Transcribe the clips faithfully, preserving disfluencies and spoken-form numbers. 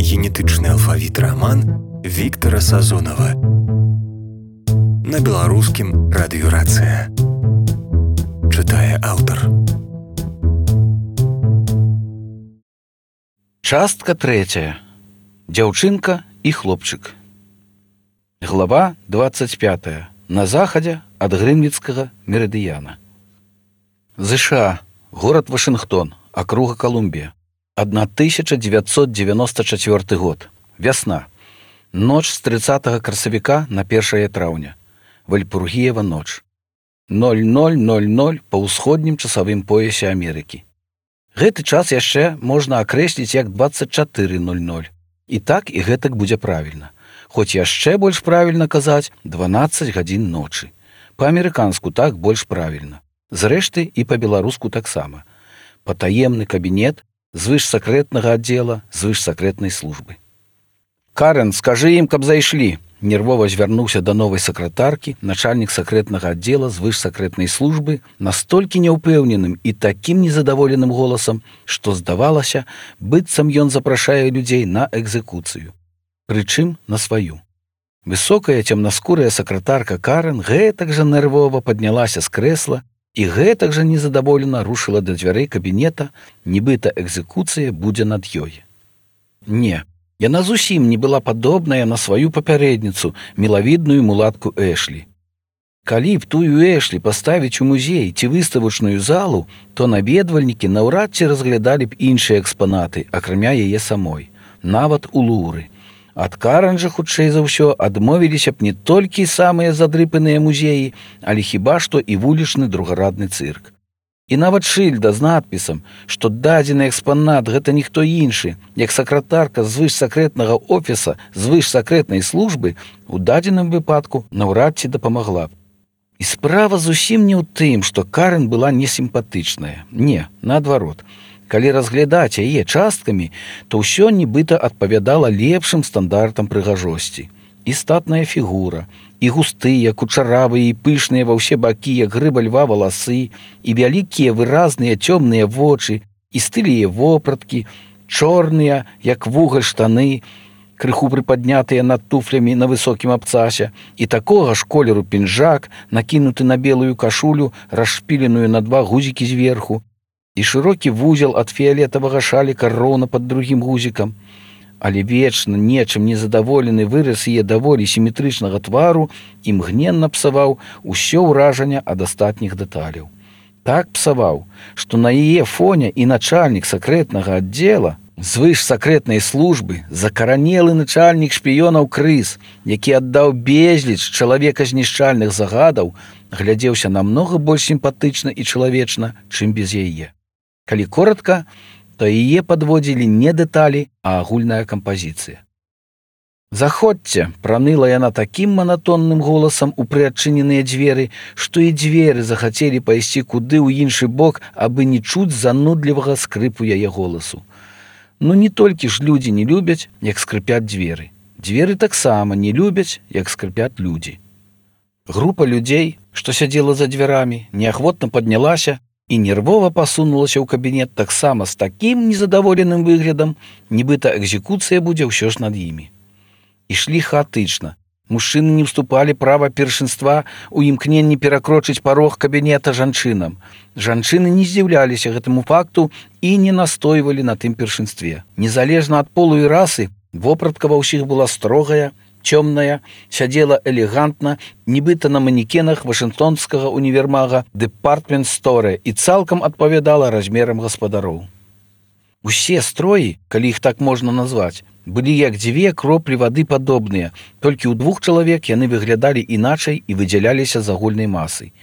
генетычны алфавіт раман Віктара Сазонава. На беларускім радыёрацыя. Чытае аўтар. Частка трэцяя. Дзяўчынка і хлопчык. Глава двадцать пятая. На захадзе ад Грынвіцкага мерыдыяна. ЗША. Горад Вашынгтон. Акруга Колумбія. тысяча девятьсот девяносто четвёрты год. Вясна. Ноч з трыццатага красавіка на першае траўня. Вальпургіева ноч. ноль ноль ноль ноль па ўсходнім часавым поясе Амерыкі. Гэты час яшчэ можна акрэсліць як двадцать четыре ноль ноль. І так і гэтак будзе правільна. Хоць яшчэ больш правільна казаць дванаццаць гадзін ночы. Па-амерыканску так больш правільна. Зрэшты, і па-беларуску таксама. Патаемны кабінет звышсакрэтнага аддзела звышсакрэтнай службы. «Карен, скажы ім, каб зайшлі!» Нервова звярнуўся да новай сакратаркі начальнік сакрэтнага аддзела звышсакрэтнай службы настолькі няўпэўненым і такім незадаволеным голасам, што здавалася, быццам ён запрашае людзей на экзекуцыю. Прычым на сваю. Высокая цемнаскурая сакратарка Карен гэтак жа нервова паднялася з крэсла і гэтак жа незадаволена рушыла да дзвярэй кабінета, нібыта экзекуцыя будзе над ёй. Не, яна зусім не была падобная на сваю папярэдніцу, мілавідную мулатку Эшлі. Калі б тую Эшлі паставіць у музей ці выставачную залу, то наведвальнікі наўрад ці разглядалі б іншыя экспанаты, акрамя яе самой, нават у Луры. Ад Карен жа, хутчэй за ўсё, адмовіліся б не толькі самыя задрыпаныя музеі, але хіба што і вулічны другарадны цырк. І нават шыльда з надпісам, што дадзены экспанат гэта ніхто іншы, як сакратарка звышсакрэтнага офіса звышсакрэтнай службы, у дадзеным выпадку наўрад ці дапамагла б. І справа зусім не ў тым, што Карен была несімпатычная. Не, наадварот. Калі разглядаць яе часткамі, то ўсё нібыта адпавядала лепшым стандартам прыгажосці. І статная фігура, і густыя, кучаравыя і пышныя ва ўсе бакі, як грыба льва валасы, і вялікія выразныя цёмныя вочы, і стылія вопраткі, чорныя, як вугаль штаны, крыху прыпаднятыя над туфлямі на высокім абцасе, і такога ж колеру пінжак, накінуты на белую кашулю, расшпіленую на два гузікі зверху, і шырокі вузел ад фіялетавага шаліка роўна пад другім гузікам. Але вечна нечым незадаволены выраз яе даволі сіметрычнага твару імгненна псаваў усё ўражанне ад астатніх дэталяў. Так псаваў, што на яе фоне і начальнік сакрэтнага аддзела звышсакрэтнай службы, закаранелы начальнік шпіёнаў Крыс, які аддаў безліч чалавека-знішчальных загадаў, глядзеўся намнога больш сімпатычна і чалавечна, чым без яе. Калі коратка, то яе падводзілі не дэталі, а агульная кампазіцыя. «Заходзьце!» – праныла яна такім манатонным голасам у прыадчыненыя дзверы, што і дзверы захацелі пайсці куды ў іншы бок, абы не чуць занудлівага скрыпу яе голасу. Ну не толькі ж людзі не любяць, як скрыпяць дзверы. Дзверы таксама не любяць, як скрыпяць людзі. Група людзей, што сядзела за дзвярамі, неахвотна паднялася і нервова пасунулася ў кабінет таксама з такім незадаволеным выглядам, нібыта экзекуцыя будзе ўсё ж над імі. Ішлі хаатычна. Мужчыны не ўступалі права першынства у імкненні перакрочыць парог кабінета жанчынам. Жанчыны не здзіўляліся гэтаму факту і не настойвалі на тым першынстве. Незалежна ад полу і расы, вопратка ва ўсіх была строгая, цёмная, сядзела элегантна, нібыта на манекенах вашынгтонскага універмага Department Store і цалкам адпавядала размерам гаспадароў. Усе строі, калі іх так можна назваць, былі як дзве кроплі вады падобныя, толькі ў двух чалавек яны выглядалі іначай і выдзяляліся з агульнай масай.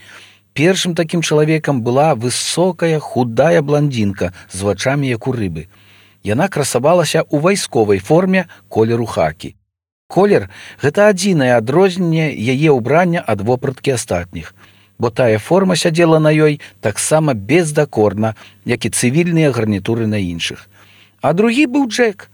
Першым такім чалавекам была высокая, худая бландзінка з вачамі, як у рыбы. Яна красавалася ў вайсковай форме колеру хакі. Колер – гэта адзінае адрозненне яе ўбрання ад вопраткі астатніх, бо тая форма сядзела на ёй таксама бездакорна, як і цывільныя гарнітуры на іншых. А другі быў Джек.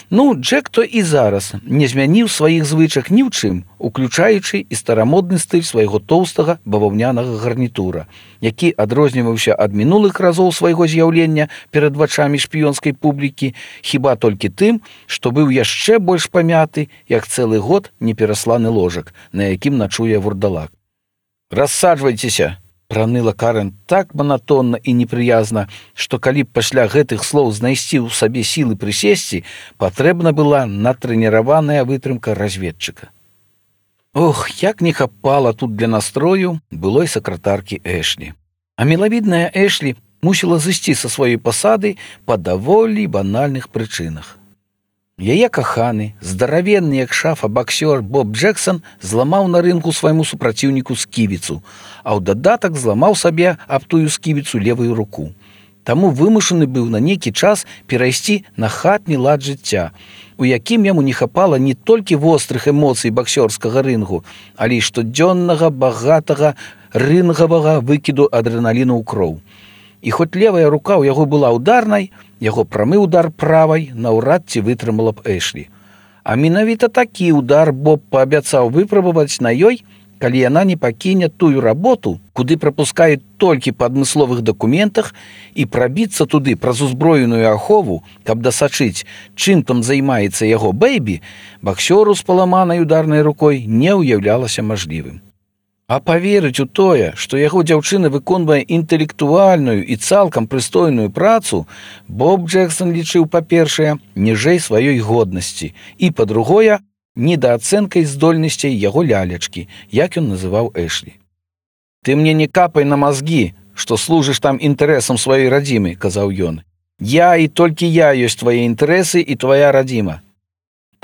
Ну, Джек то і зараз не змяніў сваіх звычак ні ў чым, уключаючы і старамодны стыль свайго тоўстага баваўнянага гарнітура, які адрозніваўся ад мінулых разоў свайго з'яўлення перад вачамі шпіёнскай публікі хіба толькі тым, што быў яшчэ больш памяты, як цэлы год неперасланы ложак, на якім начуе вурдалак. «Рассаджвайцеся!» праныла Карен так манатонна і непрыязна, што калі б пасля гэтых слоў знайсці ў сабе сілы прысесці, патрэбна была натрэніраваная вытрымка разведчыка. Ох, як не хапала тут для настрою былой сакратаркі Эшлі. А мілавідная Эшлі мусіла зысці са сваёй пасады па даволі банальных прычынах. Яе каханы, здаравенны як шафа баксёр Боб Джексон зламаў на рынку свайму супраціўніку сківіцу, а ў дадатак зламаў сабе аб тую сківіцу левую руку. Таму вымушаны быў на нейкі час перайсці на хатні лад жыцця, у якім яму не хапала не толькі вострых эмоцый баксёрскага рынгу, але і штодзённага багатага рынгавага выкіду адрэналіну ў кроў. І хоць левая рука ў яго была ударнай, яго прамы удар правай наўрад ці вытрымала б Эшлі. А менавіта такі удар Боб паабяцаў выпрабаваць на ёй, калі яна не пакіне тую работу, куды прапускаюць толькі па адмысловых дакументах, і прабіцца туды праз узброеную ахову, каб дасачыць, чым там займаецца яго бэйбі, баксёру з паламанай ударнай рукой не ўяўлялася мажлівым. А паверыць у тое, што яго дзяўчына выконвае інтэлектуальную і цалкам прыстойную працу, Боб Джексон лічыў, па-першае, ніжэй сваёй годнасці і, па-другое, недаацэнкай здольнасцей яго лялечкі, як ён называў Эшлі. «Ты мне не капай на мазгі, што служыш там інтарэсам сваёй радзімы», – казаў ён. «Я і толькі я ёсць твае інтарэсы і твая радзіма».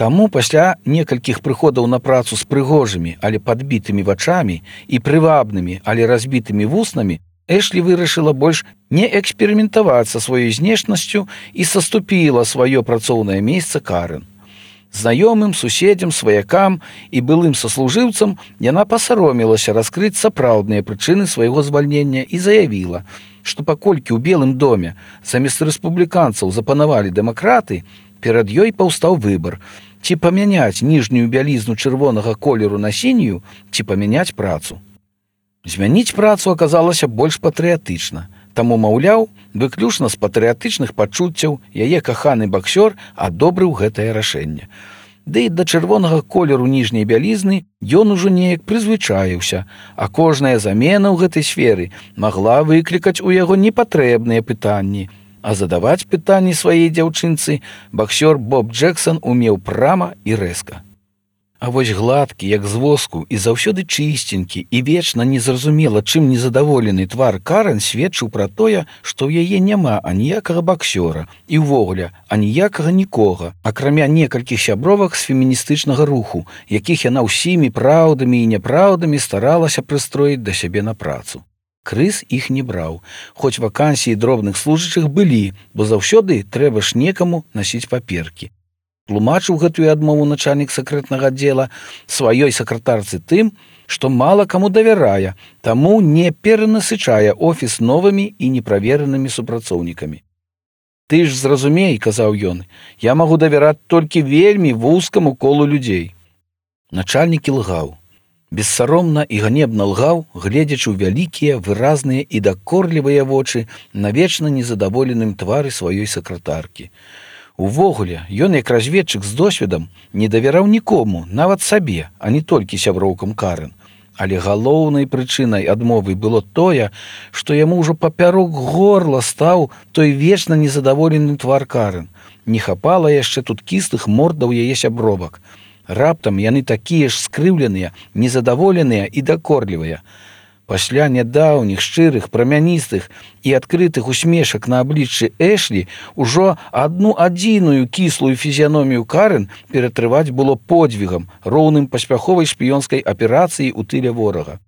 Таму пасля некалькіх прыходаў на працу з прыгожымі, але падбітымі вачамі і прывабнымі, але разбітымі вуснамі, Эшлі вырашыла больш не эксперыментаваць са сваёй знешнасцю і саступіла сваё працоўнае месца Карен. Знаёмым, суседзям, сваякам і былым саслужыўцам яна пасаромілася раскрыць сапраўдныя прычыны свайго звальнення і заявіла, што паколькі ў Белым доме замест рэспубліканцаў запанавалі дэмакраты, перад ёй паўстаў выбар, ці памяняць ніжнюю бялізну чырвонага колеру на сінюю, ці памяняць працу. Змяніць працу аказалася больш патрыятычна, таму, маўляў, выключна з патрыятычных пачуццяў яе каханы баксёр адобрыў гэтае рашэнне. Ды і да чырвонага колеру ніжняй бялізны ён ужо неяк прызвычаіўся, а кожная замена ў гэтай сферы магла выклікаць у яго непатрэбныя пытанні, а задаваць пытанні сваей дзяўчынцы баксёр Боб Джексон умеў прама і рэзка. А вось гладкі, як з воску, і заўсёды чысценькі, і вечна незразумела, чым незадаволены твар Карен сведчыў пра тое, што ў яе няма аніякага баксёра і ўвогуле аніякага нікога, акрамя некалькіх сябровак з феміністычнага руху, якіх яна ўсімі праўдамі і няпраўдамі старалася прыстроіць да сябе на працу. Крыс іх не браў, хоць вакансіі дробных служачых былі, бо заўсёды трэба ж некаму насіць паперкі. Тлумачыў гэтую адмову начальнік сакрэтнага аддзела сваёй сакратарцы тым, што мала каму давярае, таму не перанасычае офіс новымі і неправеранымі супрацоўнікамі. «Ты ж зразумей, – казаў ён, – я магу давяраць толькі вельмі вузкаму колу людзей». Начальнік ілгаў. Бессаромна і ганебна лгаў, гледзячы ў вялікія, выразныя і дакорлівыя вочы на вечна незадаволеным твары сваёй сакратаркі. Увогуле, ён, як разведчык з досведам, не давяраў нікому, нават сабе, а не толькі сяброўкам Карен. Але галоўнай прычынай адмовы было тое, што яму ўжо папярок горла стаў той вечна незадаволены твар Карен. Не хапала яшчэ тут кістых мордаў яе сябровак. Раптам яны такія ж скрыўленыя, незадаволеныя і дакорлівыя. Пасля нядаўніх, шчырых, прамяністых і адкрытых усмешак на абліччы Эшлі ўжо адну адзіную кіслую фізіяномію Карен ператрываць было подзвігам, роўным паспяховай шпіёнскай аперацыі ў тыле ворага.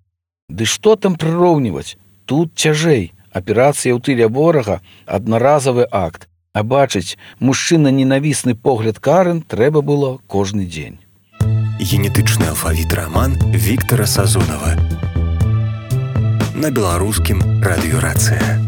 Ды што там прыроўніваць? Тут цяжэй. Аперацыя ў тыле ворага – аднаразавы акт, а бачыць мужчына-ненавісны погляд Карен трэба было кожны дзень. Генетычны алфавіт раман Віктара Сазонава на беларускім радыёрацыя.